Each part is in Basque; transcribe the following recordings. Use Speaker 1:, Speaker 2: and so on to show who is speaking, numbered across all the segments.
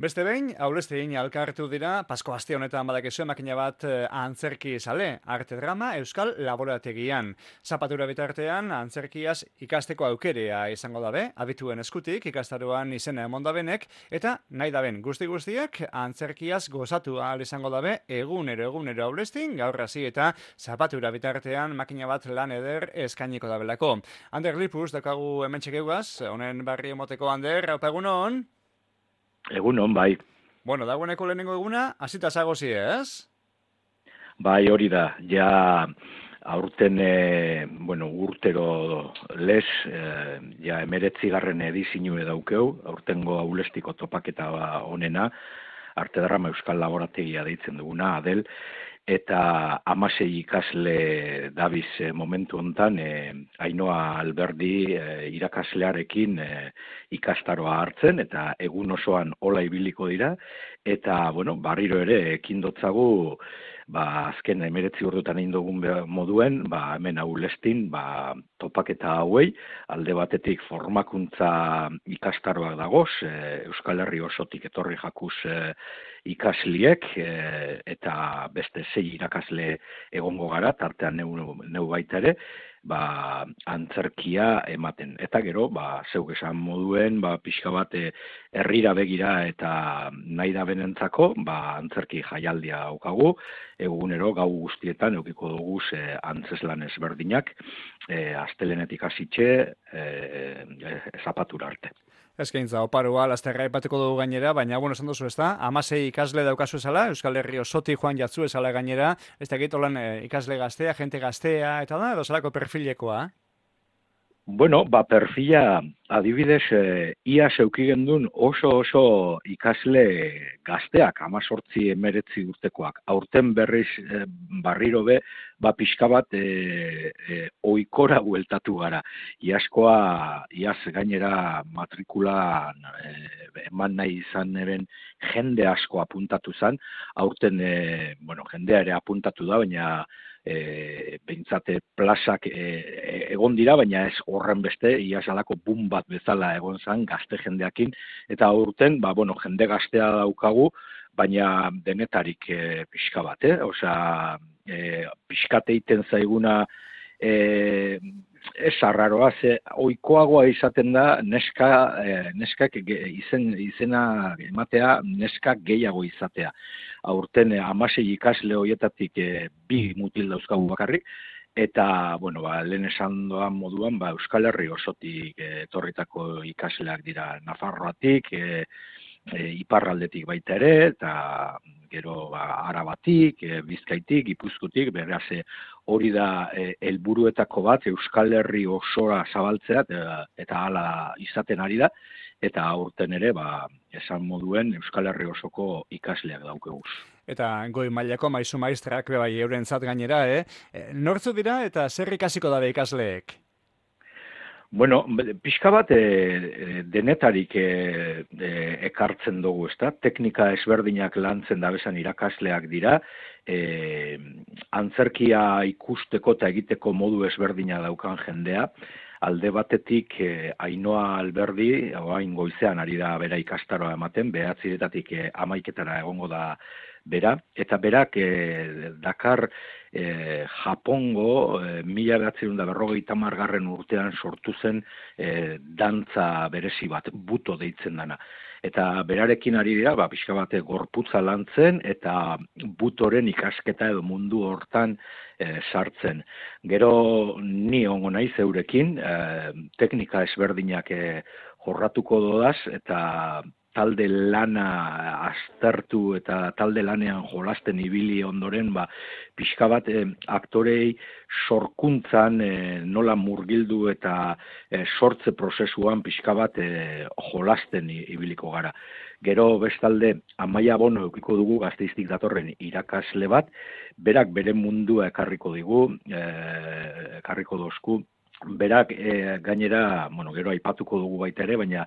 Speaker 1: Beste behin, aulestegin alkartu dira, Pasko aste honetan badakizu makina bat antzerki sale, arte drama Euskal Laborategian. Zapatura bitartean, antzerkiaz ikasteko aukerea izango dabe, abituen eskutik ikastaroan izena emondabenek, eta nahi daben guztiak antzerkiaz gozatu ahal izango dabe, egunero aulestin, gaur hasi eta zapatura bitartean makina bat lan eder eskainiko dabelako. Ander Lipuz, dakagu hemen txekeugaz, honen barri emoteko Ander, haupa egunon?
Speaker 2: Egunon, bai.
Speaker 1: Bueno, dagoeneko lehenengo eguna, hasita zagozi, ez?
Speaker 2: Bai, hori da. Ja, aurten, urtero lez, ja, 19. edizinu daukeu, aurtengo aulestiko topaketa onena, arte drama Euskal Laborategia deitzen duguna, Adel, eta 16 ikasle dabiz momentu hontan, Ainhoa Alberdi irakaslearekin ikastaroa hartzen, eta egun osoan hola ibiliko dira, eta, barriro ere, ekin dotzagu, azken 19 urtetan egin dugun moduen, hemen aulestin, topaketa hauei, alde batetik formakuntza ikastaroak dagoz, Euskal Herri osotik etorri jakuz ikasliek, eta beste 6 irakasle egongo gara, tartean neu baita ere, antzerkia ematen. Eta gero, zeuk esan moduen, pixka bat herrira begira eta nahi da benentzako, antzerki jaialdia daukagu, egunero gau guztietan eukiko dugu antzeslan ezberdinak, astelenetik hasitxe, zapatura arte.
Speaker 1: Eskaintza, oparua, lasterra ipateko dugu gainera, baina, esan duzu, ez da? 16 ikasle daukazu esala, Euskal Herri osoti joan jatzu esala gainera, ez da egitolan ikasle gaztea, jente gaztea, eta da, edo zelako perfilekoa?
Speaker 2: Perfila, adibidez, ia zeuki gendun oso ikasle gazteak, 18-19 urtekoak. Aurten berriz barriro be, pixka bat oikora bueltatu gara. Iaz gainera matrikula eman nahi izan eren jende asko apuntatu zan. Aurten, jendea ere apuntatu da, baina behintzate plazak egon dira, baina ez horren beste, ia salako bum bat bezala egon zan gazte jendeakin, eta aurten, jende gaztea daukagu, baina denetarik pixka bat, osea, pixkate iten zaiguna ez arraroa, oikoagoa izaten da neskak izena ematea, neskak gehiago izatea. Aurten 16 ikasle horietatik 2 mutil dauzkagu bakarrik, eta, lehen esan doan moduan, Euskal Herri osotik etorritako ikasleak dira Nafarroatik, iparraldetik baita ere, eta gero Arabatik, Bizkaitik, Gipuzkoatik, beraz hori da helburuetako bat Euskal Herri osora zabaltzea, eta hala izaten ari da, eta aurten ere, esan moduen Euskal Herri osoko ikasleak daukeguz.
Speaker 1: Eta goi mailako maizu maistrak bai eurentzat gainera, nortzu dira eta zer ikasiko dabe ikasleek?
Speaker 2: Pixka bat denetarik ekartzen dugu, ezta? Teknika ezberdinak lantzen dabezan irakasleak dira, antzerkia ikusteko eta egiteko modu ezberdina daukan jendea, alde batetik Ainhoa Alberdi, oain goizean ari da bera ikastaroa ematen, 9-etatik 11-etara egongo da bera, eta berak Dakar Japongo 1950 urtean sortu zen dantza berezi bat, buto deitzen dana. Eta berarekin ari dira, pixka bat gorputza lantzen eta butoren ikasketa edo mundu hortan sartzen. Gero ni ongo naiz eurekin, teknika ezberdinak jorratuko dodaz eta talde lana aztertu eta talde lanean jolasten ibili ondoren, pixka bat aktorei sorkuntzan nola murgildu eta sortze prozesuan pixka bat jolasten ibiliko gara. Gero bestalde Amaia Bono eukiko dugu Gasteiztik datorren irakasle bat, berak bere mundua ekarriko digu, ekarriko dozku, berak gainera, gero aipatuko dugu baita ere, baina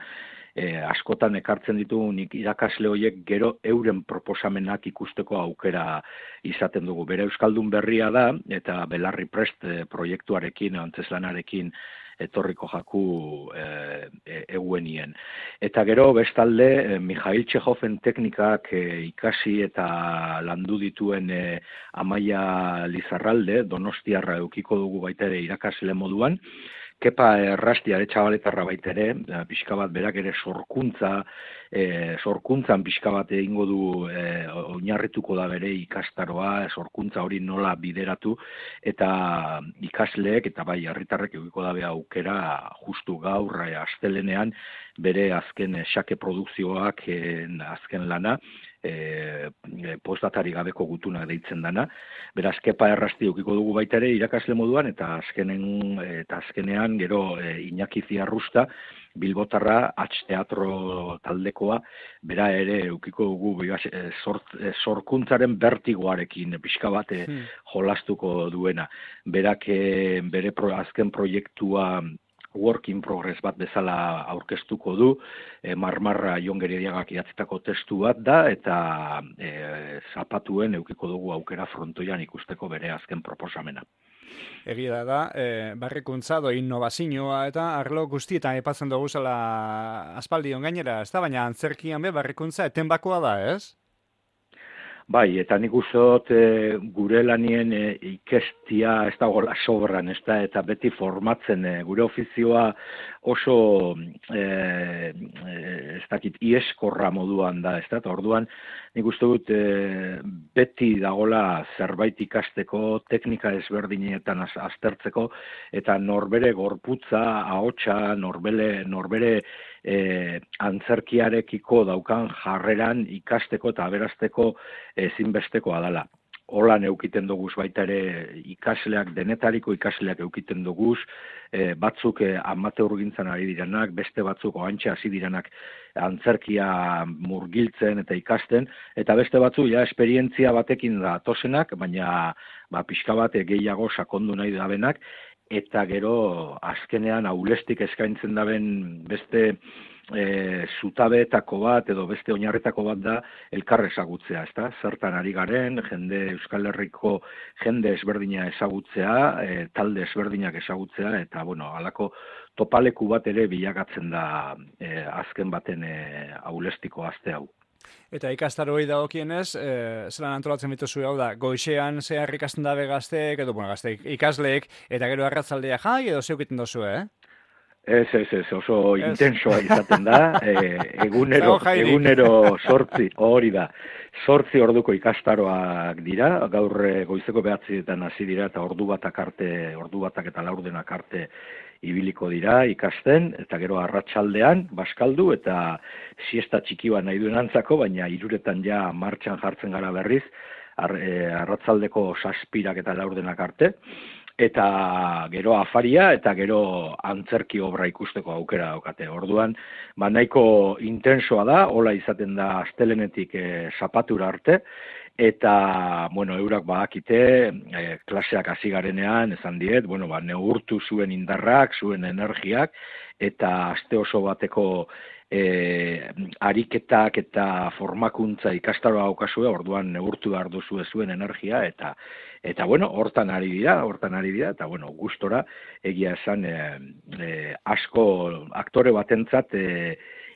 Speaker 2: askotan ekartzen ditugunik irakasle horiek gero euren proposamenak ikusteko aukera izaten dugu. Bere Euskaldun berria da, eta Belarri Prest proiektuarekin, antzeslanarekin etorriko jaku euenien. Eta gero bestalde Mikhail Txekhoven teknikak ikasi eta landu dituen Amaia Lizarralde, Donostiarra eukiko dugu baita ere irakasle moduan, Kepa Errastiare txabaletarra baita ere, pixka bat berak ere sorkuntzan pixka bat egingo du oinarrituko da bere ikastaroa, sorkuntza hori nola bideratu, eta ikasleek eta bai herritarrek edukiko dabe aukera justu gaur astelenean bere azken xake produkzioak azken lana, postdatari gabeko gutuna deitzen dana. Beraz, Kepa Errasti edukiko dugu baita ere irakasle moduan, eta azkenean gero Iñaki Ziarrusta, Bilbotarra, Teatro taldekoa, bera ere edukiko dugu sorkuntzaren bertigoarekin pixka bat jolastuko duena. Berak bere azken proiektua work in progress bat bezala aurkeztuko du, Marmarra Jon Gerediagak idatzitako testu bat da, eta zapatuen edukiko dugu aukera frontoian ikusteko bere azken proposamena.
Speaker 1: Egia da, barrikuntza do innovazioa eta arlo guztietan aipatzen dugu zela aspaldion gainera, ez da, baina antzerkian barrikuntza etenbakoa da, ez?
Speaker 2: Bai, eta nik uste dut gure lanien ikestia ez da gola sobran, ez da, eta beti formatzen gure ofizioa oso ez dakit ieskorra moduan da, ez da, eta orduan nik uste dut beti dagola zerbait ikasteko, teknika ezberdinetan aztertzeko, eta norbere gorputza, ahotsa, norbere antzerkiarekiko daukan jarreran ikasteko eta aberasteko ezinbestekoa dela. Holan eukiten duguz baita ere ikasleak, denetariko ikasleak eukiten duguz, batzuk amateurgintzan ari direnak, beste batzuk oantxe hasi direnak antzerkia murgiltzen eta ikasten, eta beste batzuk ja esperientzia batekin da tosenak, baina pixka bat gehiago sakondu nahi dabenak, eta gero azkenean aulestik eskaintzen daben beste zutabeetako bat edo beste oinarretako bat da elkar ezagutzea, ezta? Zertan ari garen, Euskal Herriko jende ezberdina ezagutzea, talde ezberdinak ezagutzea, eta halako topaleku bat ere bilakatzen da azken baten aulestiko aste hau.
Speaker 1: Eta ikastaroi dagokienez, zelan antolatzen dituzu hau da, goixean zehar ikasten dabe gazteek, edo gazteek ikasleek, eta gero arratzaldea jai edo zeukiten dozu,
Speaker 2: Ez, oso intensoa izaten da, egunero 8, hori da, 8 orduko ikastaroak dira, gaur goizeko 9etan hasi dira, eta ordu batak eta laurdenak arte ibiliko dira ikasten, eta gero arratsaldean baskaldu, eta siesta txiki bat nahi duen antzako, baina 3etan ja martxan jartzen gara berriz, arratsaldeko 7 eta laurdenak arte, eta gero afaria eta gero antzerki obra ikusteko aukera daukate. Orduan, nahiko intensoa da, hola izaten da astelenetik zapatura arte, eta, eurak badakite, klaseak hasi garenean, esan diet, neurtu zuen indarrak, zuen energiak, eta aste oso bateko ariketak eta formakuntza ikastaroa daukazue, orduan neurtu behar duzue zuen energia, eta hortan ari dira, eta gustora egia esan asko aktore batentzat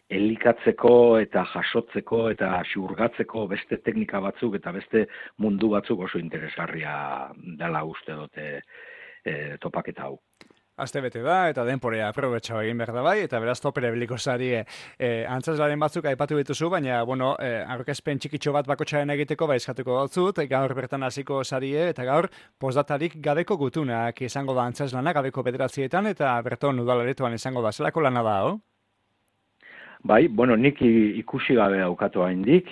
Speaker 2: elikatzeko eta jasotzeko eta xurgatzeko beste teknika batzuk eta beste mundu batzuk oso interesgarria dela uste dute topaketa hau.
Speaker 1: Aste bete da, eta denporea aprobetxo egin behar da bai, eta beraz topere biliko zari antzazlaren batzuk aipatu dituzu, baina, aurkezpen txikitxo bat bakotxaren egiteko eskatuko dautzut, gaur bertan hasiko zarie, eta gaur postdatarik gabeko gutunak izango da antzazlana, gabeko 9etan, eta berton udalaretoan izango da, zelako lana da,
Speaker 2: Bai, nik ikusi gabe daukatu haindik,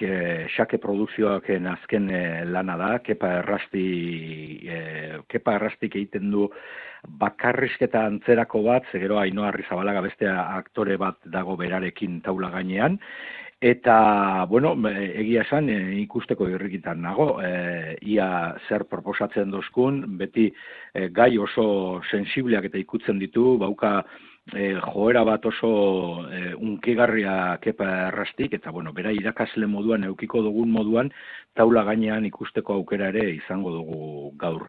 Speaker 2: xake produkzioak azken lana da, Kepa Errastik egiten du bakarrizketa antzerako bat, gero Ainhoa Arrizabalaga beste aktore bat dago berarekin taula gainean, eta, egia esan ikusteko irrikitan nago, ia zer proposatzen dozkun, beti gai oso sensibleak eta ikutzen ditu, bauka joera bat oso unkigarria Kepa Errastik, eta bera irakasle moduan, eukiko dugun moduan, taula gainean ikusteko aukera ere izango dugu gaur.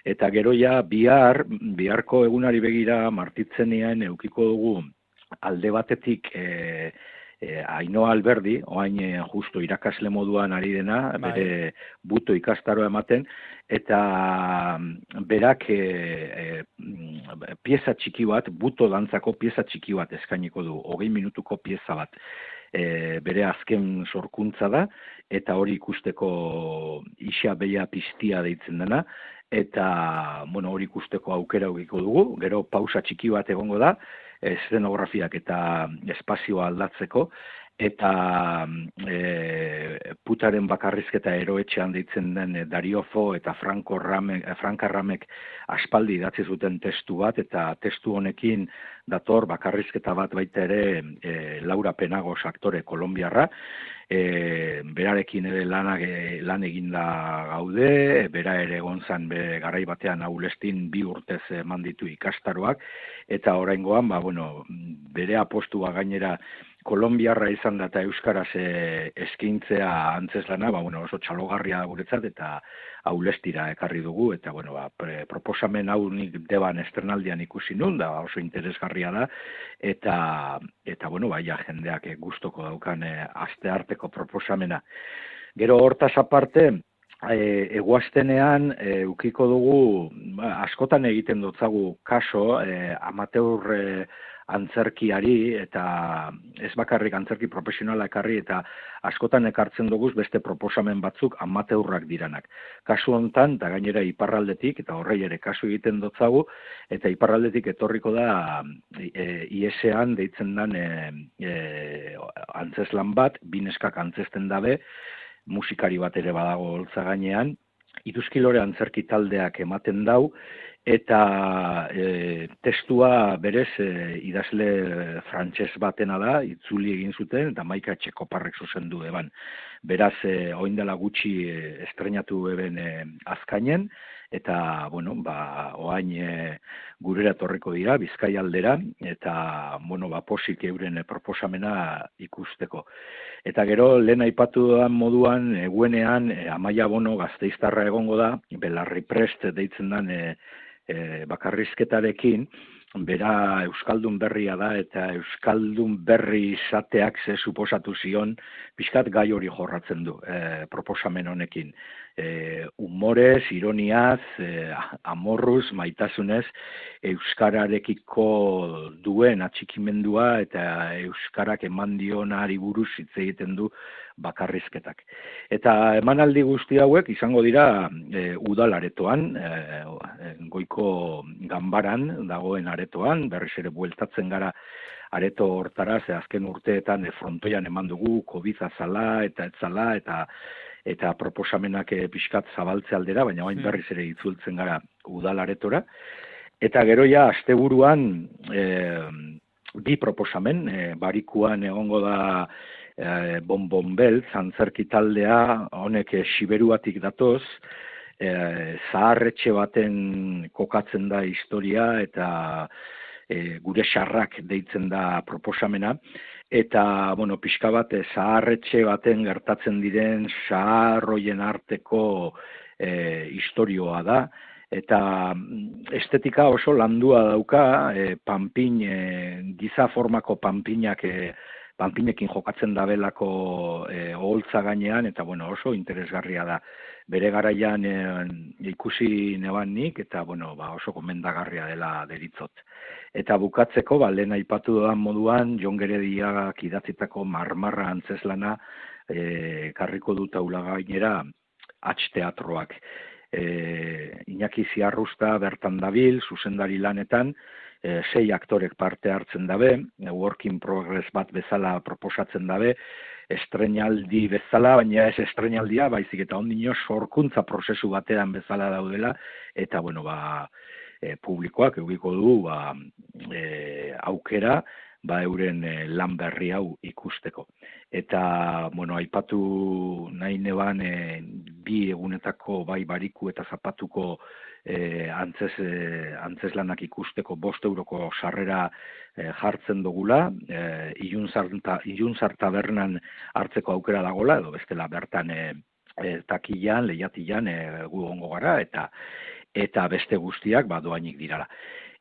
Speaker 2: Eta gero ja biharko egunari begira martitzenean eukiko dugu alde batetik Ainhoa Alberdi, oain justo irakasle moduan ari dena, bere buto ikastaroa ematen, eta berak pieza txiki bat, buto dantzako pieza txiki bat eskainiko du, 20 minutuko pieza bat. Bere azken sorkuntza da, eta hori ikusteko isa beia piztia deitzen dena, eta hori ikusteko aukera eukiko dugu, gero pausa txiki bat egongo da, eszenografiak eta espazioa aldatzeko, eta putaren bakarrizketa eroetxean deitzen den Dario Fo eta Frank Arramek aspaldi idatzi zuten testu bat, eta testu honekin dator bakarrizketa bat baita ere Laura Penagos aktore kolombiarra, berarekin ere lan eginda gaude, bera ere egon zan garai batean Aulestin 2 urtez eman ditu ikastaroak, eta oraingoan bere apostua gainera kolombiarra izan da eta euskaraz eskaintzea antzeslana, oso txalogarria da guretzat eta Aulestira ekarri dugu, eta proposamen hau nik Deban estrenaldian ikusi nun, da oso interesgarria da, eta jendeak gustoko daukan astearteko proposamena. Gero hortaz aparte, eguaztenean ukiko dugu, askotan egiten dutzagu kaso, amateur antzerkiari, eta ez bakarrik antzerki profesionala ekarri, eta askotan ekartzen dugu beste proposamen batzuk amateurrak diranak. Kasu hontan, eta gainera iparraldetik, eta horrei ere kasu egiten dutzagu, eta iparraldetik etorriko da IESean deitzen den antzeslan bat, bineskak antzesten dabe, musikari bat ere badago holtza gainean, Ituzkilore antzerki taldeak ematen dau, eta testua berez idazle frantses batena da, itzuli egin zuten, eta Maika Txekoparrek zuzendu eban. Beraz, oindela gutxi estrenatu eben azkainen, eta, oain gurera etorriko dira, Bizkai aldera, eta, posik euren proposamena ikusteko. Eta gero, lehen aipatu dudan moduan, eguenean, Amaia Bono Gasteiztarra egongo da, Belarri Prest deitzen den bakarrizketarekin, bera Euskaldun berria da, eta Euskaldun berri izateak ze suposatu zion, pixkat gai hori jorratzen du proposamen honekin. Humorez, ironiaz, amorruz, maitasunez, euskararekiko duen atxikimendua eta euskarak eman dionari buruz hitz egiten du bakarrizketak. Eta emanaldi guzti hauek izango dira udal aretoan, goiko ganbaran dagoen aretoan, berriz ere bueltatzen gara areto hortara, ze azken urteetan frontoian eman dugu, COVID zala eta etzala, eta proposamenak pixkat zabaltze aldera, baina bain berriz ere itzultzen gara udal aretora. Eta gero ja, asteburuan bi proposamen, barikuan egongo da Bonbon Beltz, antzerki taldea, honek Siberuatik datoz, zaharretxe baten kokatzen da historia, eta gure xarrak deitzen da proposamena, eta, pixka bat, zaharretxe baten gertatzen diren zaharroien arteko historioa da, eta estetika oso landua dauka, panpin, giza formako panpinekin jokatzen dabelako oholtza gainean, eta oso interesgarria da. Bere garaian ikusi neban nik, eta oso gomendagarria dela deritzot. Eta bukatzeko, lehen aipatu dudan moduan, Jon Gerediagak idatzitako Marmarra antzeslana karriko dut aula gainera Teatroak. Iñaki Ziarrusta bertan dabil, zuzendari lanetan, 6 aktorek parte hartzen dabe, work in progress bat bezala proposatzen dabe, estreinaldi bezala, baina ez estreinaldia, baizik eta ondino sorkuntza prozesu batean bezala daudela, eta publikoak eukiko du aukera euren lan berri hau ikusteko. Eta, aipatu nahi neban bi egunetako bai bariku eta zapatuko antzeslanak ikusteko 5 euroko sarrera jartzen dugula, Iluntzar tabernan hartzeko aukera dagola, edo bestela bertan takilan, lehiatilan gu ongo gara, eta beste guztiak doainik dirala.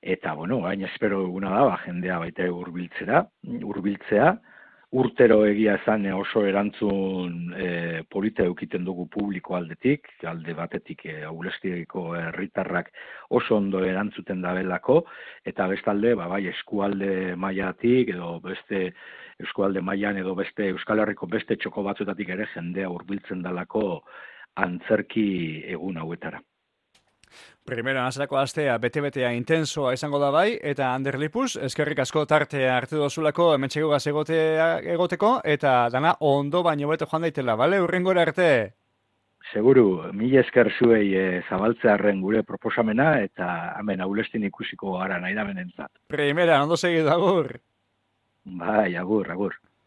Speaker 2: Eta, bueno, orain espero duguna da, jendea baita hurbiltzea, urtero egia esan oso erantzun polita eukiten dugu publiko aldetik, alde batetik Aulestiko herritarrak oso ondo erantzuten dabelako, eta bestalde, bai, eskualde mailatik, edo beste eskualde mailan edo beste Euskal Herriko beste txoko batzutatik ere jendea hurbiltzen dalako antzerki egun hauetara.
Speaker 1: Primera nazarako astea bete-betea intensoa izango da bai, eta Ander Lipuz, eskerrik asko tartea hartu dozulako hementxegugaz egoteko, eta dana ondo baino beto joan daitela, bale? Urrengora arte!
Speaker 2: Seguru, mila esker zuei zabaltzearren gure proposamena, eta hemen Aulestin ikusiko gara nahi da benentzat.
Speaker 1: Primera, ondo segidu, agur!
Speaker 2: Bai, agur.